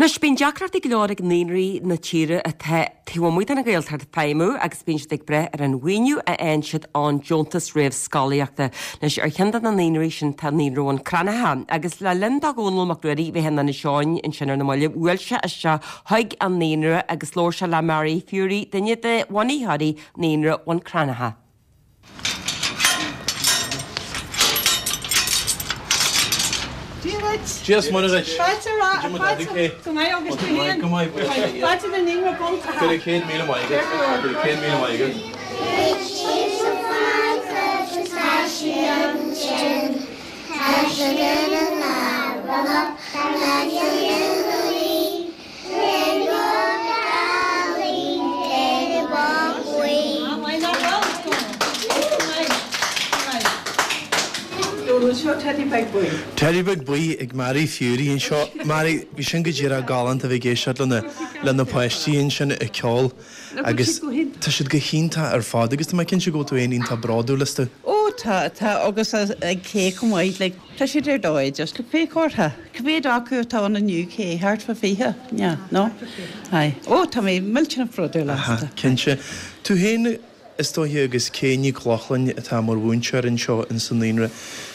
Anois, bíonn deacrachtaí go leor ag naíonraí na tíre atá taobh amuigh den Ghaeltacht feidhmiú agus bíonn siad ag brath ar an mhaoiniú a fhaigheann siad ón deontas réamhscolaíochta. Anois, ar cheann de na naíonraí sin tá Naíonra Bhun Cranncha agus le linn do Dhónall Mac Ruairí bheith in Inis Eoghain ansin ar na mallaibh, bhuail sé isteach chuig an naíonra agus labhair sé le Mary Furey, duine de bhunaitheoirí Naíonra Bhun Cranncha. Dia duit. Dia is Muire duit. Fáilte ra, fáilte, go maith agus tú féin? Go maith, buíochas le Dia. Fáilte go Naíonra Bhun Cranncha. Go raibh 100,000 maith agat. Go raibh 100,000 maith agat. Teidí Beag Buí ag Mary Furey anseo. Mary, bhí sin go díreach galánta a bheith ag éisteacht le na, le na páistí ansin ag ceol agus tá siad go hiontach ar fad agus tá mé cinnte go bhfuil tú féin iontach bródúil astu. Ó tá, tá agus ag Kay chomh maith, like. Tá siad ar dóigh, just look, féach orthu. Cá mhéad acu atá ann inniu, Kay? Thart fá 20? Yeah, no? Aye. Ó, tá mé millteanach bródúil astu. Aha, cinnte. Tú féin, is dóiche, agus Kay Nic Lochlainn atá mar mhúinteoir anseo in sa naíonra,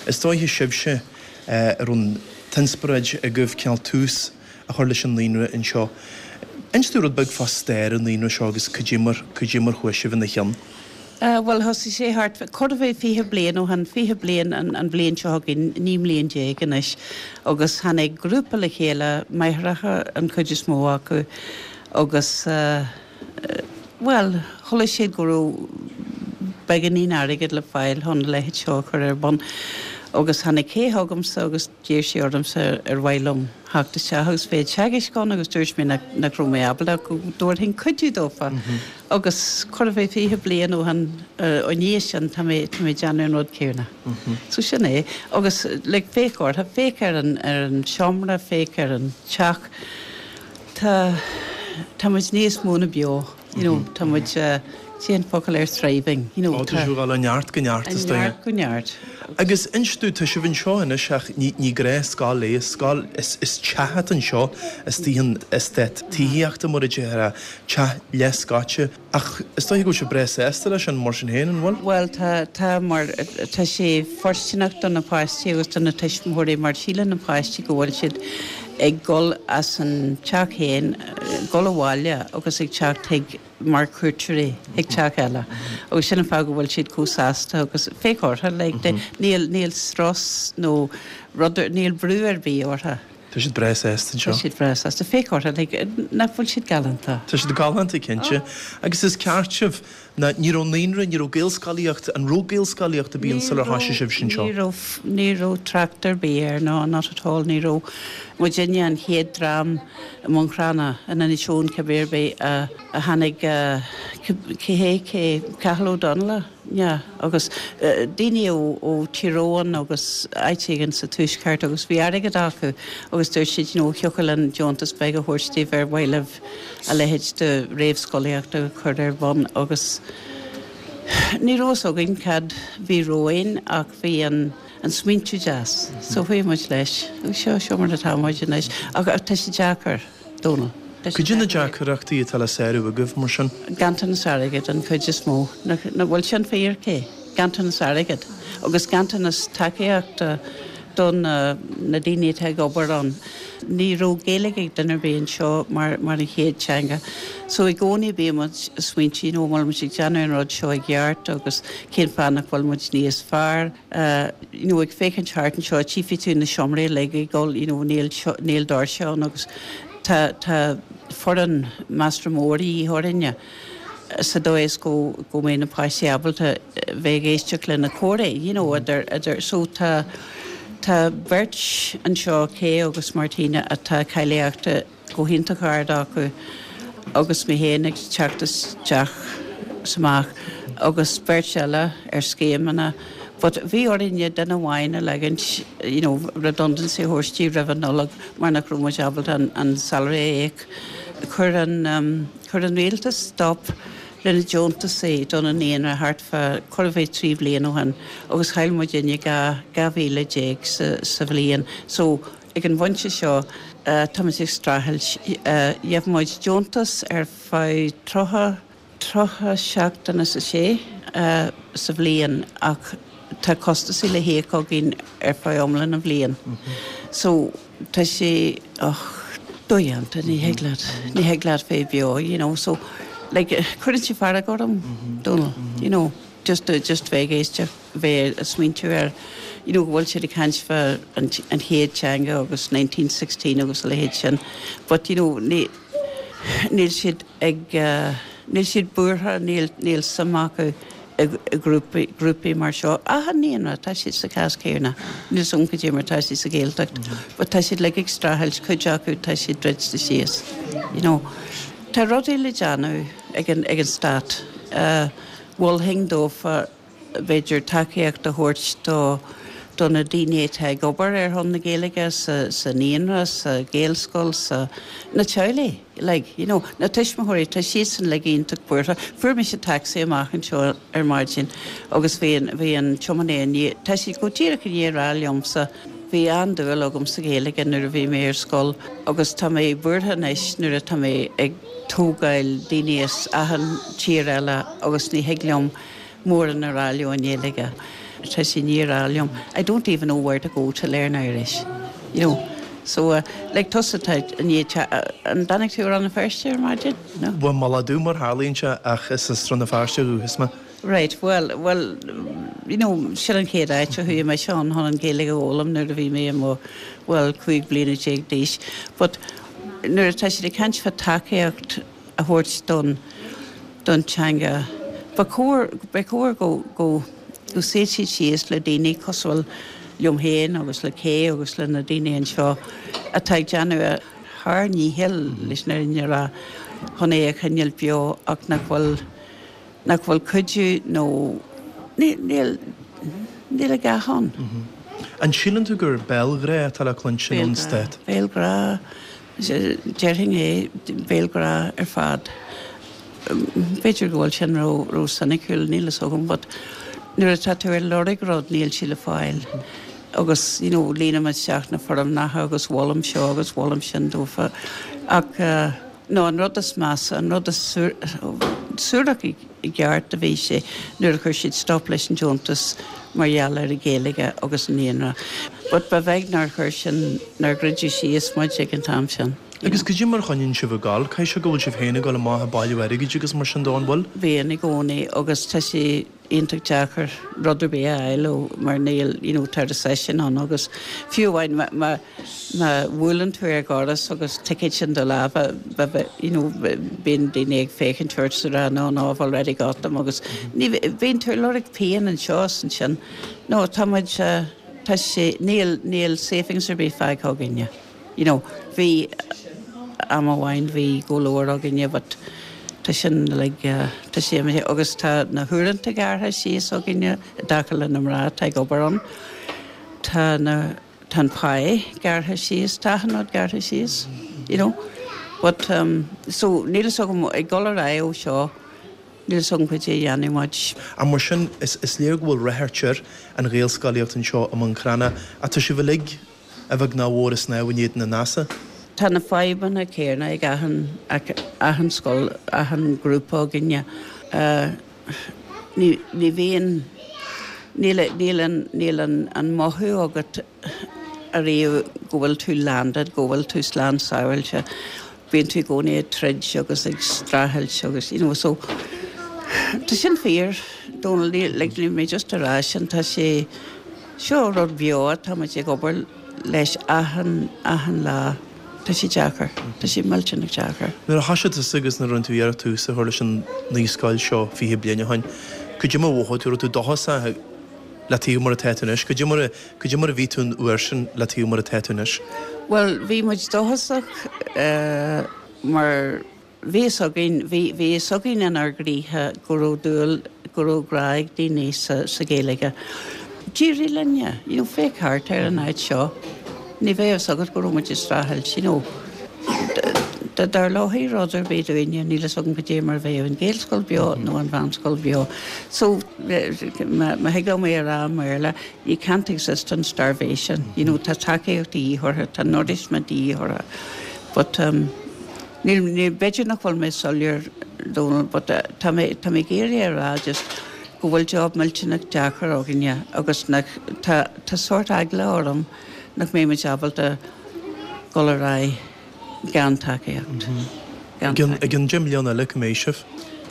is dóiche sibhse a raibh an t-inspioráid agaibh cineál tús a chur leis an naíonra anseo. Inis dúinn rud beag fá stair an naíonra seo agus cad é mar, cad é mar chuaigh sibh ina chionn. Bhuel, thosaigh sé thart, chóir a bheith 20 bliain ó shin, 20 bliain an bhliain seo chugainn, 19 mbliain anois, agus tháinig grúpa le chéile, máithreacha an chuid is mó acu, agus, bhuel, chuala siad go raibh beagáinín airgid le fáil chun a leithéid seo a chur ar bun, agus tháinig Kay chugamsa agus d'iarr sí ormsa ar mhaith liom theacht isteach agus bheith ag teagasc ann agus dúirt mé nach raibh mé ábalta ach go dtabharfainn cuidiú dófa agus chóir a bheith 20 bliain ó shin ó ndiaidh sin tá mé tá mé ag déanamh an rud céanna. So sin é agus like féach orthu, féach ar an ar an seomra, féach ar an teach, tá tá muid níos mó ná beo. You know, tá muid, cé an focal air thriving, you know, Ó, tá sibh ag dul ó neart go neart, is dóigh. Ó neart go neart. Agus inis dúinn, tá sibh anseo anois ach ní, ní gnáthscoil é, is scoil, is, is teach atá anseo, istigh in eastát tithíochta mar a déarfá, teach leathscoite. Ach is dóiche go bhfuil sibh breá sásta leis sin mar sin féin, an bhfuil? Bhuel, tá, tá, mar tá sé fóirsteanach do na páistí agus do na tuismitheoirí mar síleann na páistí go bhfuil siad ag dul as an teach féin, dul abhaile agus ag teacht chuig mar cuairteoirí chuig teach eile agus sin an fáth go bhfuil siad chomh sásta agus féach orthu, like, níl, níl strus nó rud, níl brú ar bith orthu. Tá siad breá sásta anseo. Tá siad breá sásta. Féach orthu, like, nach bhfuil siad galánta? Tá siad galánta, cinnte. Agus is ceart sibh. Ná ní raibh naíonra, ní raibh Gaelscolaíocht, an raibh Gaelscolaíocht ar bith ann sular thoisigh sibhse anseo? Ní raibh, ní raibh trácht ar bith air, no, not at all, ní raibh. Muidinne an chéad dream i mBun Cranncha, in Inis Eoghain cibé ar bith, a a tháinig, cé hé, cé, Cathal Ó Donnaile, yeah, agus daoine ó ó Tír Eoghain agus áit éigin sa Tuaisceart agus bhí airgead acu agus dúirt siad, you know, thiocfadh linn deontas beag a thabhairt daoibh ar mhaith libh a leithéid de réamhscolaíocht a chur ar bun agus ní raibh fhios againn cad bhí romhainn ach bhí an an smaointiú deas so chuaigh muid leis agus seo seo mar atá muid anois ach tá sé deacair, Dónal. Tá sé Cad é na deacrachtaí atá le sárú agaibh mar sin? Ganntanas airgid an chuid is mó. Nach bhfuil sin fíor, Kay? Ganntanas airgid agus ganntanas tacaíochta do na daoine atá ag obair ann. Ní raibh Gaeilge ag duine ar bith anseo mar mar an chéad teanga. So i gcónaí bíonn muid ag smaointiú, you know, an bhfuil muid ag déanamh an rud seo i gceart agus cén fáth nach bhfuil muid níos fearr, you know, ag féachaint thart anseo, tchífidh tú na seomraí uilig ag dul, you know, níl níl doirse ann agus tá tá foireann measartha mór de dhíth orainne. sa dóigh is go go mbeidh na páistí ábalta bheith ag éisteacht lena comhrá, you know, idir, idir, so tá, tá beirt anseo, Kay agus Martina, atá cáilíochta go hiontach ard acu agus mé féin ag teacht isteach is amach agus beirt eile ar scéimeanna but bhí orainne duine amháin a leagaint, you know, redundancy a thabhairt di roimh an Nollaig mar nach raibh muid ábalta an, an salary a íoc. Chuir an. Chuir an rialtas stop le na deontasaí do na naíonra thart fá chóir a bheith 3 bhliain ó shin agus chaill muidinne 12,000 sa bhliain. So ag an bpointe seo. Táimid ag streachailt. Gheibh muid deontas ar feadh 30, 30 seachtain is a sé sa bhliain ach tá costasaí le híoc againn ar feadh iomlán na bhliain. So tá sé, och, dodhéanta, ní thig leat, ní thig leat bheith beo, you know. So like cuireann sé fearg orm, Dónal, you know, just just bheith ag éisteacht, bheith ag smaointiú ar, you know, go bhfuil siad ag caint fá an chéad teanga agus 1916 agus a leithéid sin but, you know, ní, níl siad ag, níl siad buartha, níl, níl suim acu i grúpaí, grúpaí mar seo. Achan naíonra, tá siad sa chás céanna. Níl 's agam cad é mar tá siad sa Ghaeltacht but tá siad uilig ag streachailt, cuid acu tá siad druidte síos, you know. Tá rudaí le déanamh ag an, ag an stát. Mholfainn dófa b'fhéidir tacaíocht a thabhairt do do na daoine atá ag obair ar shon na Gaeilge sa sa naíonra, sa Ghaelscoil, sa na teaghlaigh like, you know, na tuismitheoirí, tá siadsan uilig iontach buartha. Fuair mise taxi amach anseo ar maidin agus bhí an bhí an tiománaí i ndiaidh, tá sé go díreach i ndiaidh a rá liomsa, bhí an-dúil agam sa Ghaeilge nuair a bhí mé ar scoil agus tá mé buartha anois nuair atá mé ag tógáil daoine as achan tír eile agus ní thig liom mórán a rá leo i nGaeilge. Tá sé i ndiaidh a rá liom, I don't even know where to go to learn Irish. You know. So, uh, like tusa tá i ndiaidh an dtáinig tú ó Rann na Feirste ar maidin? No? Bhuel, Mullach Dubh mar tharlaíonn sé ach is as Rann na Feirste ó dhúchas mé. Right, well, well, you know, sin an chéad áit a chuaigh mise ann chun an Ghaeilge a fhoghlaim nuair a bhí mé i mo, well, 15 bliana d'aois. But nuair atá siad ag caint fá tacaíocht a thabhairt don don teanga. Ba chóir ba chóir go go go suífeadh siad síos le daoine cosúil liom féin agus le Kay agus le na daoine anseo atá ag déanamh a shár-ndícheall leis an fhírinne a rá chun é a choinneáil beo ach nach bhfuil nach bhfuil cuidiú nó níl níl níl a dhath ann. An síleann tú gur béalghrá atá le cluinstin ón Stát? Béalghrá. Déarfainn é, béalghrá ar fad. B'fhéidir go bhfuil sin ró soiniciúil, níl fhios agam, but nuair atá tú ar lorg rud níl sé le fáil. Agus, you know, líonaim isteach na foirmneacha agus mholaim seo agus mholaim sin dófa. Ach, no, an rud is measa, an rud is suarach i gceart a bhí sé nuair a chuir siad stop leis an deontas mar gheall ar an Ghaeilge agus an naíonra. But ba bheag nár chuir sin, nár dhruideadh síos muid ag an t-am sin. Agus cad é mar a choinníonn sibh ag gabháil? Caithfidh sé go bhfuil sibh féin ag dul amach ag bailiú airgid agus mar sin de, an bhfuil? Bíonn i gcónaí agus tá sé iontach deacair rud ar bith a fháil ó mar níl, you know, tá recession ann agus fiú amháin má, má, má bhuaileann tú ar dhoras agus ticéad in do lámha, you know, bíonn daoine ag féachaint ort is ag rá no, no, I've already got them agus ní, bíonn tú ag lorg pingin anseo is ansin. No, tá muid, tá sé, níl, níl savings ar bith fágtha againne. You know, bhí am amháin bhí go leor againne but tá sin like, tá sé imithe agus tá na huaireanta gearrtha síos againne i dtaca le na mná atá ag obair ann. Tá na, tá an pá gearrtha síos, tá achan rud gearrtha síos, you know. But um, so níl fhios agam ag dul ar aghaidh ó seo, níl fhios agam cad é a dhéanfaidh muid. Ach mar sin, is, is léir go bhfuil ráchairt ar an Ghaelscolaíocht anseo i mBun Cranncha ach tá sibh uilig a bheag ná a mhór ag snámh in éadan an easa. Tá na fadhbanna céanna ag achan, achan scoil, achan grúpa againne. Ní, ní bhíonn, níl, níl an, níl an, an mothú agat ariamh go bhfuil tú landed, go bhfuil tú slán sábháilte. Bíonn tú i gcónaí ag troid agus ag streachailt agus, you know, so tá sin fíor, Dónal, níl, like, níl mé just a rá sin, tá sé, Seo rud beo atá muid ag obair leis achan, achan lá. Tá sé deacair. Tá sé millteanach deacair. Nuair a thoisigh tusa agus nuair a rinne tú iarracht tús a chur leis an naíscoil seo 20 bliain ó shin, cad é mar a mhothaigh tú? Raibh tú dóchasach le taobh mar atá tú anois? Cad é mar a, cad é mar a bhí tú an uair sin le taobh mar atá tú anois? Bhuel, bhí muid dóchasach mar Bhí fhios againn, bhí, bhí fhios againn inár gcroíthe go raibh dúil, go raibh grá ag daoine sa, sa Ghaeilge. D'éirigh linne, you know, féach thart ar an áit seo, ní bheadh fhios agat go raibh muid ag streachailt, you know. Dá dtarlódh rud ar bith dúinne, níl fhios agam cad é mar a bheadh an Ghaelscoil beo nó an mheánscoil beo. So, má thig liom é a rá i mBéarla, you can't exist on starvation. You know, tá tacaíocht de dhíth orthu, tá nourishment de dhíth orthu. But, um, níl, níl, b'fhéidir nach bhfuil mé soiléir, Dónal, but tá mé, tá mé ag iarraidh a rá just go bhfuil job millteanach deacair againne agus nach, tá, tá sórt eagla orm nach mbeidh muid ábalta dul ar aghaidh gan tacaíocht. Gan tacaíocht. I gcionn 10 mbliana eile, cá mbeidh sibh?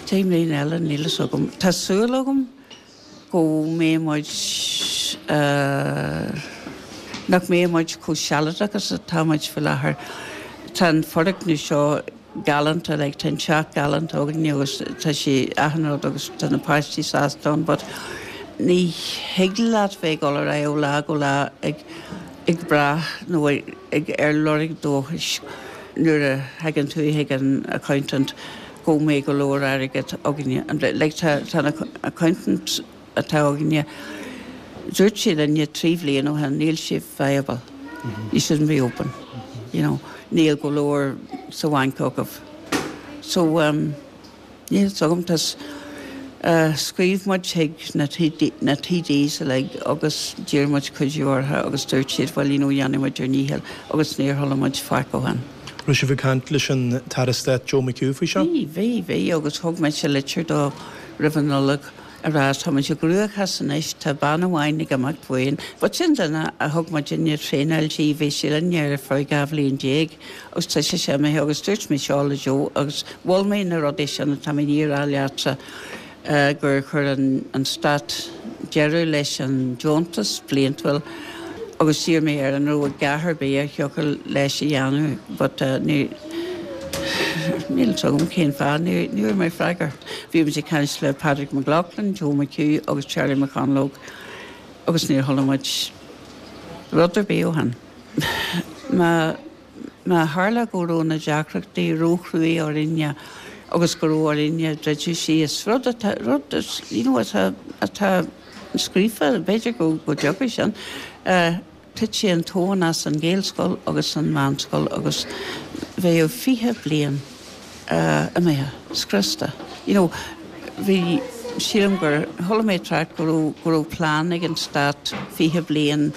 10 mbliana eile, níl fhios agam. Tá súil agam go mbeidh muid, nach mbeidh muid chomh sealadach is atá muid faoi láthair. Tá an foirgneamh seo galánta, like tá an teach galánta againne agus tá sé achan rud agus tá na páistí sásta ann but ní thig leat bheith ag dul ar aghaidh ó lá go lá ag ag brath nó ag ar lorg dóchais nuair a thagann tú chuig an accountant go mbeidh go leor airgead againne. Like tá tá an accountant atá againne, dúirt sé linne 3 bhliain ó shin níl sibh viable, you shouldn't be open, you know, níl go leor sa bhanc agaibh. So um, níl fhios agam, tá scríobh muid chuig na na TDs uilig agus d'iarr muid cuidiú orthu agus dúirt siad well you know dhéanfaidh muid ár ndícheall agus níor chuala muid faic ó shin. Raibh sibh ag caint leis an tAire Stáit Joe McHugh faoi seo? Bhí, bhí, bhí agus thug mise litir dó roimh an Nollaig a rá tá muid i gcruachás anois, tá bean amháin ag imeacht uainn. But sin duine a thug muidinne traenáil di, bhí sí linn ar feadh 12 bhliain agus tá sise imithe agus dúirt mé seo le Joe agus mhol mé na rudaí sin atá mé i ndiaidh a rá leatsa gur chuir an Stát deireadh leis an deontas bliantúil agus d'iarr mé air an raibh a dhath ar bith a thiocfadh leis a dhéanamh but ní Níl fhios agam cén fáth, ní bhfuair mé freagra. Bhí muid ag caint le Padraig MacLochlainn, Joe McHugh agus Charlie McConalogue agus níor chuala muid rud ar bith ó shin. Má má tharla go raibh na deacrachtaí róchruaidh orainne agus go raibh orainne druideadh síos, rud atá, rud you know atá, atá scríofa, b'fhéidir go go dtiocfaidh sin, Titfidh an tóin as an Ghaelscoil agus an mheánscoil agus bheadh 20 bliain imithe, scriosta. You know, bhí, sílim gur, chuala mé trácht go raibh, go raibh plean ag an Stát 20 bliain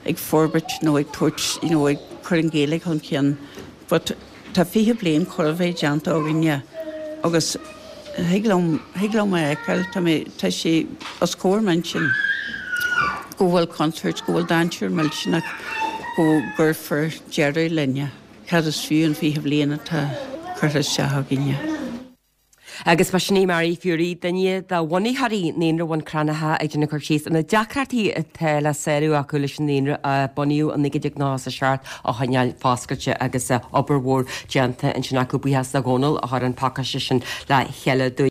ag forbairt nó ag tabhairt, you know, ag cur an Ghaeilge chun cinn but Tá 20 bliain chóir a bheith déanta againne agus thig liom, thig liom a fheiceáil, tá mé, tá sé os comhair m'intinn go bhfuil contúirt, go bhfuil dainséar millteanach go gcuirfear deireadh linne. Cad is fiú an 20 bliain atá curtha isteach againne? Agus ba sin í Mary Furey, duine de bhunaitheoirí Naíonra Bhun Cranncha ag déanamh cur síos ar na deacrachtaí atá le sárú acu leis an naíonra a bunaíodh i 1997 a choinneáil foscailte agus obair mhór déanta ansin acu. Buíochas do Dhónal a chuir an pacáiste sin le chéile dúinn.